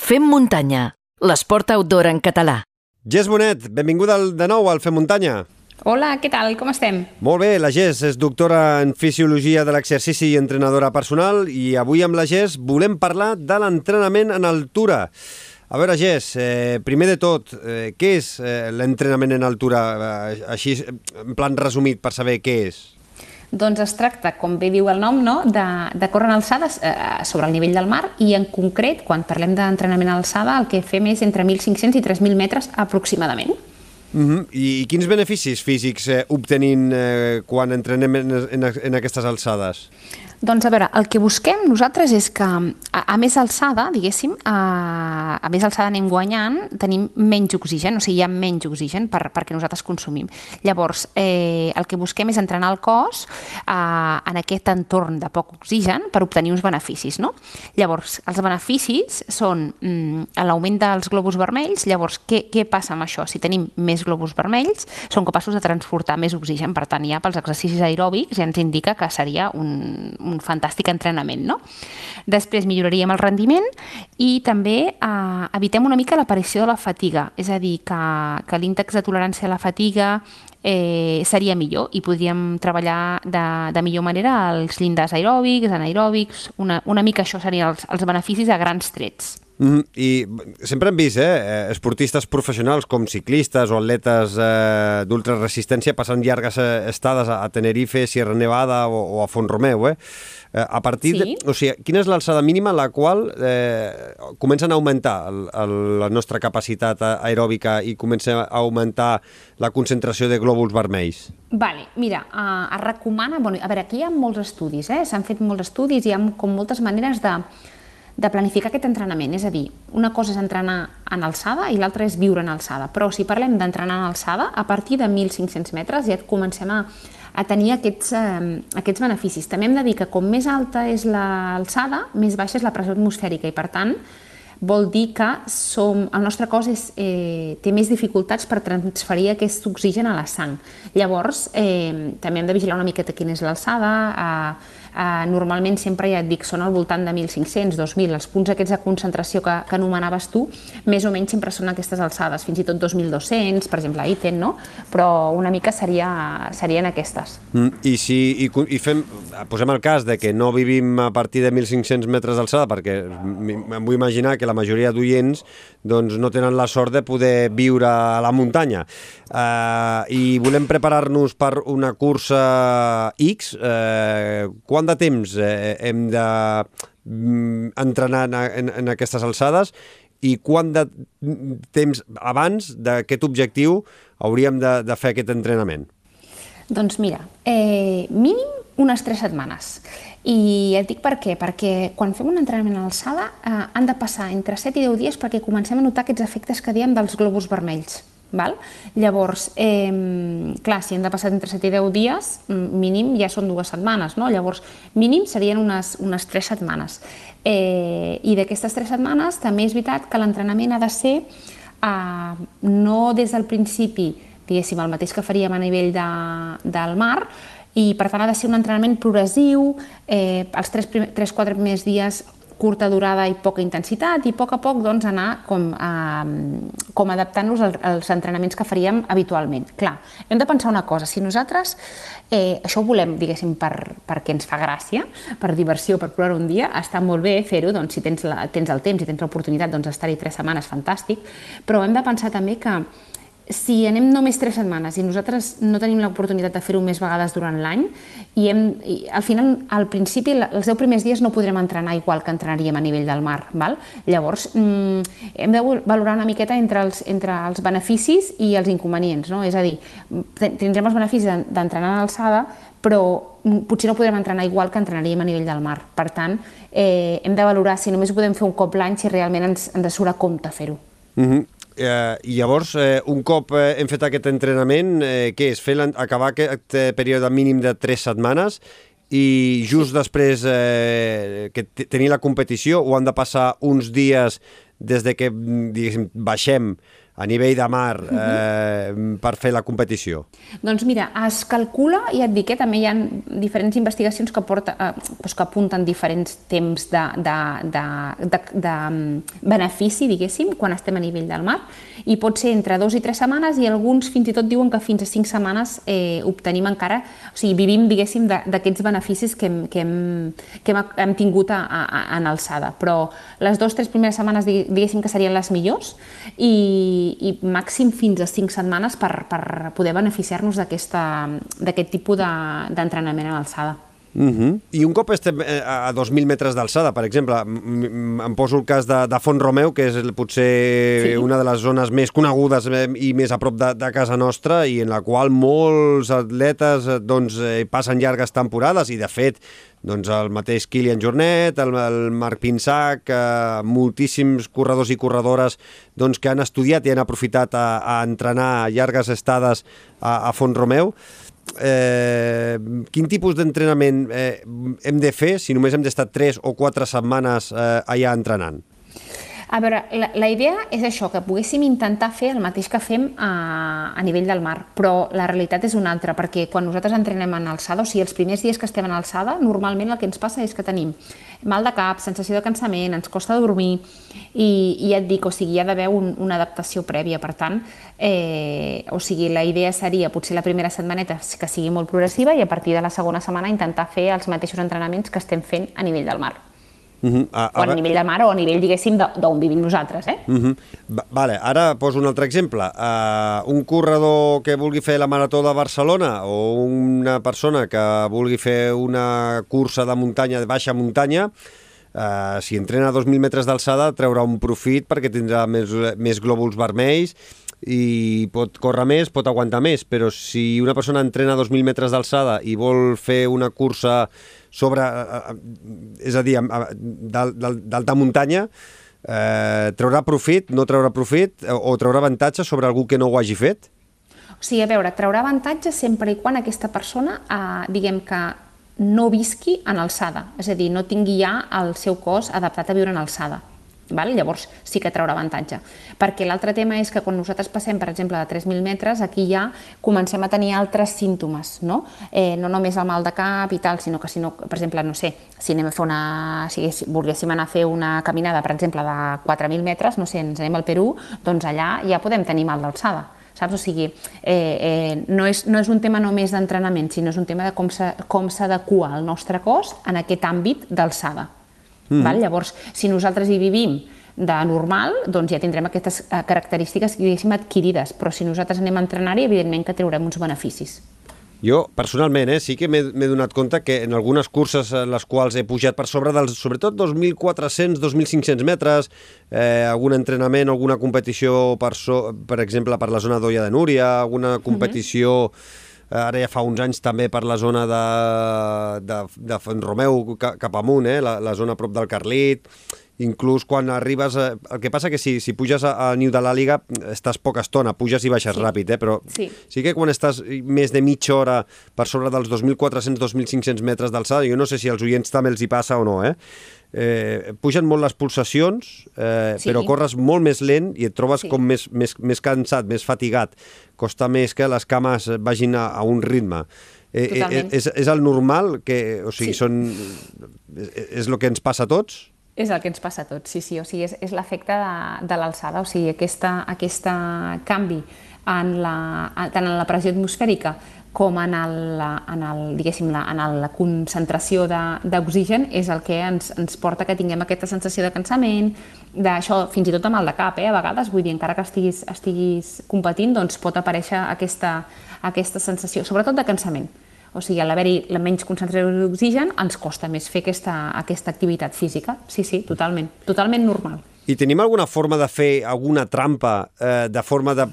Fem muntanya, l'esport outdoor en català. Jess Bonet, benvinguda de nou al Fem Muntanya. Hola, què tal? Com estem? Molt bé, la Jess és doctora en Fisiologia de l'Exercici i entrenadora personal i avui amb la Jess volem parlar de l'entrenament en altura. A veure, Jess, primer de tot, què és l'entrenament en altura? Així, en plan resumit, per saber què és. Doncs es tracta, com bé diu el nom, no? de córrer en alçades sobre el nivell del mar i en concret, quan parlem d'entrenament a alçada, el que fem és entre 1.500 i 3.000 metres aproximadament. I quins beneficis físics obtenim quan entrenem en aquestes alçades? Doncs a veure, el que busquem nosaltres és que a més alçada, diguéssim, a més alçada anem guanyant, tenim menys oxigen, o sigui, hi ha menys oxigen perquè nosaltres consumim. Llavors, el que busquem és entrenar el cos en aquest entorn de poc oxigen per obtenir uns beneficis, no? Llavors, els beneficis són l'augment dels globus vermells. Llavors, què passa amb això? Si tenim més globus vermells, són capaços de transportar més oxigen, per tant, ja pels exercicis aeròbics ja ens indica que seria un fantàstic entrenament, no? Després milloraríem el rendiment i també evitem una mica l'aparició de la fatiga, és a dir, que l'índex de tolerància a la fatiga seria millor i podríem treballar de millor manera els llindars aeròbics, anaeròbics, una mica això serien els beneficis a grans trets. I sempre hem vist esportistes professionals com ciclistes o atletes d'ultraresistència passant llargues estades a Tenerife, Sierra Nevada o a Font-romeu. A partir de... O sigui, quina és l'alçada mínima a la qual comencen a augmentar la nostra capacitat aeròbica i comença a augmentar la concentració de glòbuls vermells? Vale, mira, es recomana... Bueno, a veure, aquí hi ha molts estudis, s'han fet molts estudis i hi ha com moltes maneres de planificar aquest entrenament, és a dir, una cosa és entrenar en alçada i l'altra és viure en alçada, però si parlem d'entrenar en alçada, a partir de 1.500 metres ja comencem a tenir aquests beneficis. També hem de dir que com més alta és l'alçada, més baixa és la pressió atmosfèrica i per tant vol dir que el nostre cos té més dificultats per transferir aquest oxigen a la sang. Llavors, també hem de vigilar una miqueta quina és l'alçada. Normalment sempre, ja et dic, són al voltant de 1.500, 2.000, els punts aquests de concentració que anomenaves tu, més o menys sempre són aquestes alçades, fins i tot 2.200, per exemple, a Iten, no? Però una mica serien aquestes. I posem el cas de que no vivim a partir de 1.500 metres d'alçada, perquè em vull imaginar que la majoria d'oients no tenen la sort de poder viure a la muntanya. I volem preparar-nos per una cursa X. Quant de temps hem d'entrenar en aquestes alçades i quant de temps abans d'aquest objectiu hauríem de fer aquest entrenament? Doncs mira, mínim unes 3 setmanes. I et dic per què? Perquè quan fem un entrenament a l'alçada han de passar entre 7 i 10 dies perquè comencem a notar aquests efectes que diem dels globus vermells. Llavors, clar, si hem de passar entre 7 i 10 dies, mínim ja són 2 setmanes, no? Llavors, mínim serien unes 3 setmanes. I d'aquestes 3 setmanes també és veritat que l'entrenament ha de ser no des del principi, diguéssim, el mateix que faríem a nivell del mar, i per tant ha de ser un entrenament progressiu, els 3-4 primers dies curta durada i poca intensitat i a poc anar com adaptant-nos als entrenaments que faríem habitualment. Clar, hem de pensar una cosa, si nosaltres això ho volem, diguéssim, perquè ens fa gràcia, per diversió, per provar un dia, està molt bé fer-ho, si tens el temps i tens l'oportunitat d'estar-hi 3 setmanes, fantàstic, però hem de pensar també que si anem només 3 setmanes i nosaltres no tenim l'oportunitat de fer-ho més vegades durant l'any, i al final, al principi, els 10 primers dies no podrem entrenar igual que entrenaríem a nivell del mar. Llavors, hem de valorar una miqueta entre els beneficis i els inconvenients. És a dir, tindrem els beneficis d'entrenar a l'alçada, però potser no podrem entrenar igual que entrenaríem a nivell del mar. Per tant, hem de valorar si només ho podem fer un cop l'any, si realment ens surt a compte fer-ho. I llavors, un cop hem fet aquest entrenament, què és? Acabar aquest període mínim de 3 setmanes i just després que tenir la competició o han de passar uns dies des de que baixem a nivell de mar per fer la competició? Doncs mira, es calcula, ja et dic, també hi ha diferents investigacions que apunten diferents temps de benefici, diguéssim, quan estem a nivell del mar, i pot ser entre 2 i 3 setmanes, i alguns fins i tot diuen que fins a 5 setmanes obtenim encara, o sigui, vivim, diguéssim, d'aquests beneficis que hem tingut en alçada. Però les 2-3 primeres setmanes, diguéssim, que serien les millors, i màxim fins a 5 setmanes per poder beneficiar-nos d'aquest tipus d'entrenament a l'alçada. I un cop estem a 2.000 metres d'alçada, per exemple, em poso el cas de Font-romeu, que és potser una de les zones més conegudes i més a prop de casa nostra, i en la qual molts atletes passen llargues temporades, i de fet el mateix Kilian Jornet, el Marc Pinsac, moltíssims corredors i corredores que han estudiat i han aprofitat a entrenar llargues estades a Font-romeu. Quin tipus d'entrenament hem de fer si només hem d'estar 3 o 4 setmanes allà entrenant? A veure, la idea és això, que poguéssim intentar fer el mateix que fem a nivell del mar, però la realitat és una altra, perquè quan nosaltres entrenem en alçada, o sigui, els primers dies que estem en alçada, normalment el que ens passa és que tenim mal de cap, sensació de cansament, ens costa dormir, i ja et dic, o sigui, hi ha d'haver una adaptació prèvia. Per tant, o sigui, la idea seria potser la primera setmaneta que sigui molt progressiva, i a partir de la segona setmana intentar fer els mateixos entrenaments que estem fent a nivell del mar. O a nivell de mar o a nivell, diguéssim, d'on vivim nosaltres. Vale, ara poso un altre exemple. Un corredor que vulgui fer la Marató de Barcelona, o una persona que vulgui fer una cursa de muntanya, de baixa muntanya, si entrena a 2.000 metres d'alçada treurà un profit perquè tindrà més glòbuls vermells i pot córrer més, pot aguantar més, però si una persona entrena a 2.000 metres d'alçada i vol fer una cursa sobre, és a dir, d'alta muntanya, traurà profit, no traurà profit, o traurà avantatge sobre algú que no ho hagi fet? O sigui, a veure, traurà avantatge sempre i quan aquesta persona, diguem que no visqui en alçada, és a dir, no tingui ja el seu cos adaptat a viure en alçada. Llavors sí que traurà avantatge, perquè l'altre tema és que quan nosaltres passem, per exemple, de 3.000 metres, aquí ja comencem a tenir altres símptomes, no només el mal de cap i tal, sinó que, per exemple, no sé, si volguéssim anar a fer una caminada, per exemple, de 4.000 metres, no sé, ens anem al Perú, doncs allà ja podem tenir mal d'alçada, saps? O sigui, no és un tema només d'entrenament, sinó és un tema de com s'adequa el nostre cos en aquest àmbit d'alçada. Llavors, si nosaltres hi vivim de normal, doncs ja tindrem aquestes característiques, diguéssim, adquirides, però si nosaltres anem a entrenar-hi, evidentment que traurem uns beneficis. Jo, personalment, sí que m'he donat compte que en algunes curses en les quals he pujat per sobre dels, sobretot 2.400, 2.500 metres, algun entrenament, alguna competició, per exemple, per la zona d'Olla de Núria, alguna competició... Ara ja fa uns anys també per la zona de Font-romeu cap amunt, la zona a prop del Carlit. Inclús quan arribes... El que passa que si puges al niu de l'Àliga estàs poca estona, puges i baixes ràpid, però sí que quan estàs més de mitja hora per sobre dels 2.400-2.500 metres d'alçada, jo no sé si als oients també els hi passa o no, pugen molt les pulsacions, però corres molt més lent i et trobes com més cansat, més fatigat. Costa més que les cames vagin a un ritme. És el normal? O sigui, és el que ens passa a tots? És el que ens passa a tots, sí. O sigui, és l'efecte de l'alçada, o sigui, aquest canvi tant en la pressió atmosfèrica com en la concentració d'oxigen és el que ens porta que tinguem aquesta sensació de cansament, d'això, fins i tot de mal de cap, a vegades, vull dir, encara que estiguis competint, doncs pot aparèixer aquesta sensació, sobretot de cansament. O sigui, a l'haver-hi la menys concentració d'oxigen ens costa més fer aquesta activitat física. Sí, totalment normal. I tenim alguna forma de fer alguna trampa, de forma de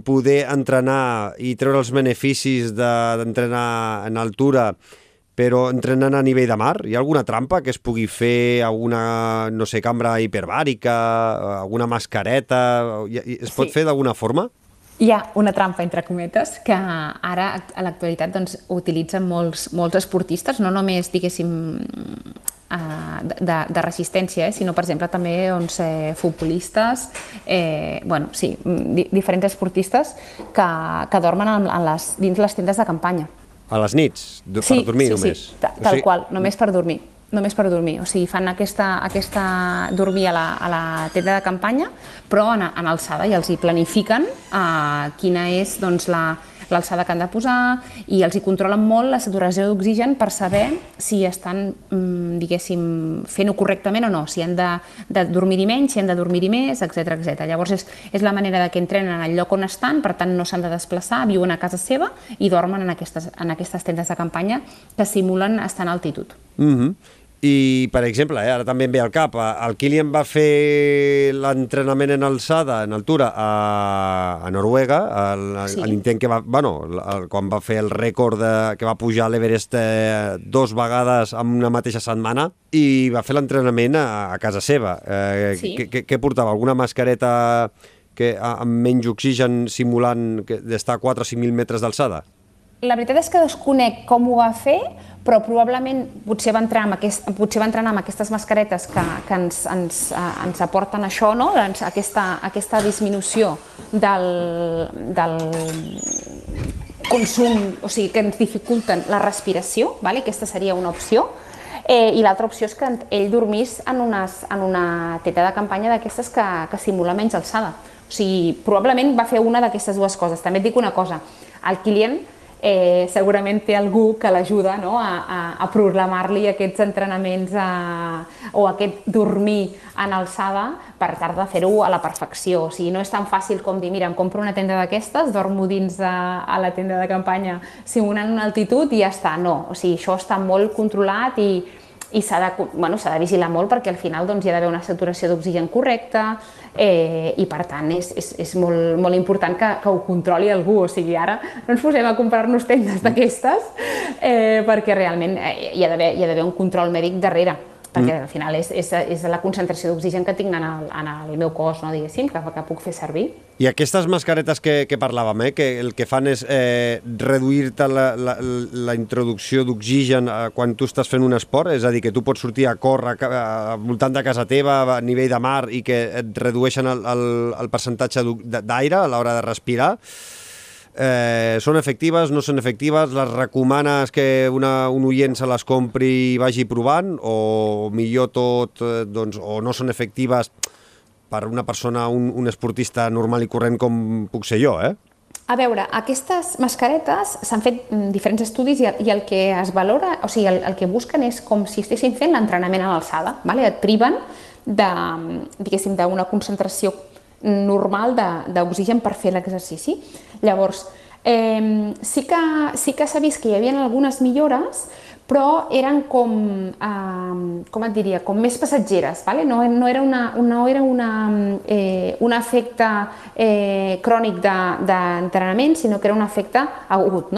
poder entrenar i treure els beneficis d'entrenar en altura, però entrenant a nivell de mar? Hi ha alguna trampa que es pugui fer, alguna, no sé, cambra hiperbàrica, alguna mascareta? Es pot fer d'alguna forma? Hi ha una trampa, entre cometes, que ara, a l'actualitat, utilitzen molts esportistes, no només, diguéssim, de resistència, sinó, per exemple, també futbolistes, diferents esportistes que dormen dins les tendes de campanya. A les nits? Per dormir només? Sí, tal qual, només per dormir. O sigui, fan aquesta dormir a la tenda de campanya, però en alçada, i els hi planifiquen quina és l'alçada que han de posar, i els hi controlen molt la saturació d'oxigen per saber si estan, diguéssim, fent-ho correctament o no, si han de dormir-hi menys, si han de dormir-hi més, etc. Llavors és la manera que entrenen en el lloc on estan, per tant no s'han de desplaçar, viuen a casa seva i dormen en aquestes tendes de campanya que simulen estar en altitud. I, per exemple, ara també em ve al cap, el Kilian va fer l'entrenament en alçada, en altura, a Noruega, l'intent que va... quan va fer el rècord que va pujar a l'Everest 2 vegades en una mateixa setmana, i va fer l'entrenament a casa seva. Què portava? Alguna mascareta amb menys oxigen simulant d'estar a 4 o 5.000 metres d'alçada? La veritat és que desconec com ho va fer, però probablement potser va entrenar amb aquestes mascaretes que ens aporten això, aquesta disminució del consum, o sigui, que ens dificulten la respiració, aquesta seria una opció, i l'altra opció és que ell dormís en una tenda de campanya d'aquestes que simula menys alçada. O sigui, probablement va fer una d'aquestes dues coses. També et dic una cosa, el Kilian segurament té algú que l'ajuda a programar-li aquests entrenaments o aquest dormir en alçada per tal de fer-ho a la perfecció. O sigui, no és tan fàcil com dir, mira, em compro una tenda d'aquestes, dormo dins a la tenda de campanya simulant una altitud i ja està. No, o sigui, això està molt controlat i s'ha de vigilar molt perquè al final hi ha d'haver una saturació d'oxigen correcta i per tant és molt important que ho controli algú. O sigui, ara no ens posem a comprar-nos tendes d'aquestes perquè realment hi ha d'haver un control mèdic darrere, perquè al final és la concentració d'oxigen que tinc en el meu cos, diguéssim, que puc fer servir. I aquestes mascaretes que parlàvem, que el que fan és reduir-te la introducció d'oxigen quan tu estàs fent un esport, és a dir, que tu pots sortir a córrer al voltant de casa teva a nivell de mar i que et redueixen el percentatge d'aire a l'hora de respirar. Són efectives, no són efectives? Les recomanes que un oient se les compri i vagi provant, o millor tot, o no són efectives per una persona, un esportista normal i corrent com puc ser jo, A veure, aquestes mascaretes s'han fet diferents estudis i el que es valora, o sigui, el que busquen és com si estiguessin fent l'entrenament a l'alçada, et priven d'una concentració normal d'oxigen per fer l'exercici. Llavors, sí que s'ha vist que hi havia algunes millores, però eren com et diria, com més passatgeres, no era un efecte crònic d'entrenament, sinó que era un efecte agut,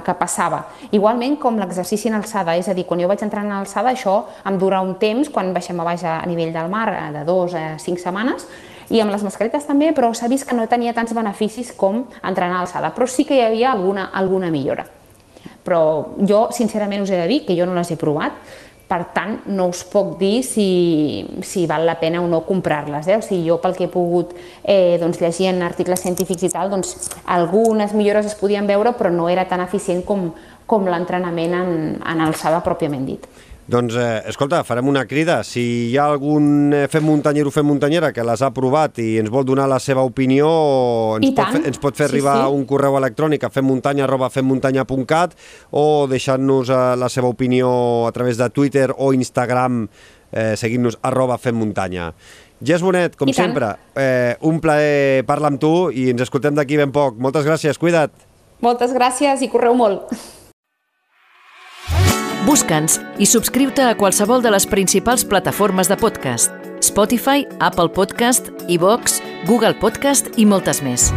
que passava. Igualment com l'exercici en alçada, és a dir, quan jo vaig entrar en alçada, això em dura un temps, quan baixem a baix a nivell del mar, de 2 a 5 setmanes, i amb les mascaretes també, però s'ha vist que no tenia tants beneficis com entrenar a alçada, però sí que hi havia alguna millora. Però jo, sincerament, us he de dir que jo no les he provat, per tant, no us puc dir si val la pena o no comprar-les. O sigui, jo pel que he pogut llegir en articles científics i tal, algunes millores es podien veure, però no era tan eficient com l'entrenament en alçada pròpiament dit. Doncs, escolta, farem una crida. Si hi ha algun fem muntanyero o fem muntanyera que les ha provat i ens vol donar la seva opinió, ens pot fer arribar un correu electrònic a femmuntanya@femmuntanya.cat o deixant-nos la seva opinió a través de Twitter o Instagram, seguint-nos @femmuntanya. Jess Bonet, com sempre, un plaer parlar amb tu i ens escoltem d'aquí ben poc. Moltes gràcies, cuida't. Moltes gràcies i correu molt. Busca'ns i subscriu-te a qualsevol de les principals plataformes de podcast: Spotify, Apple Podcast, iVoox, Google Podcast i moltes més.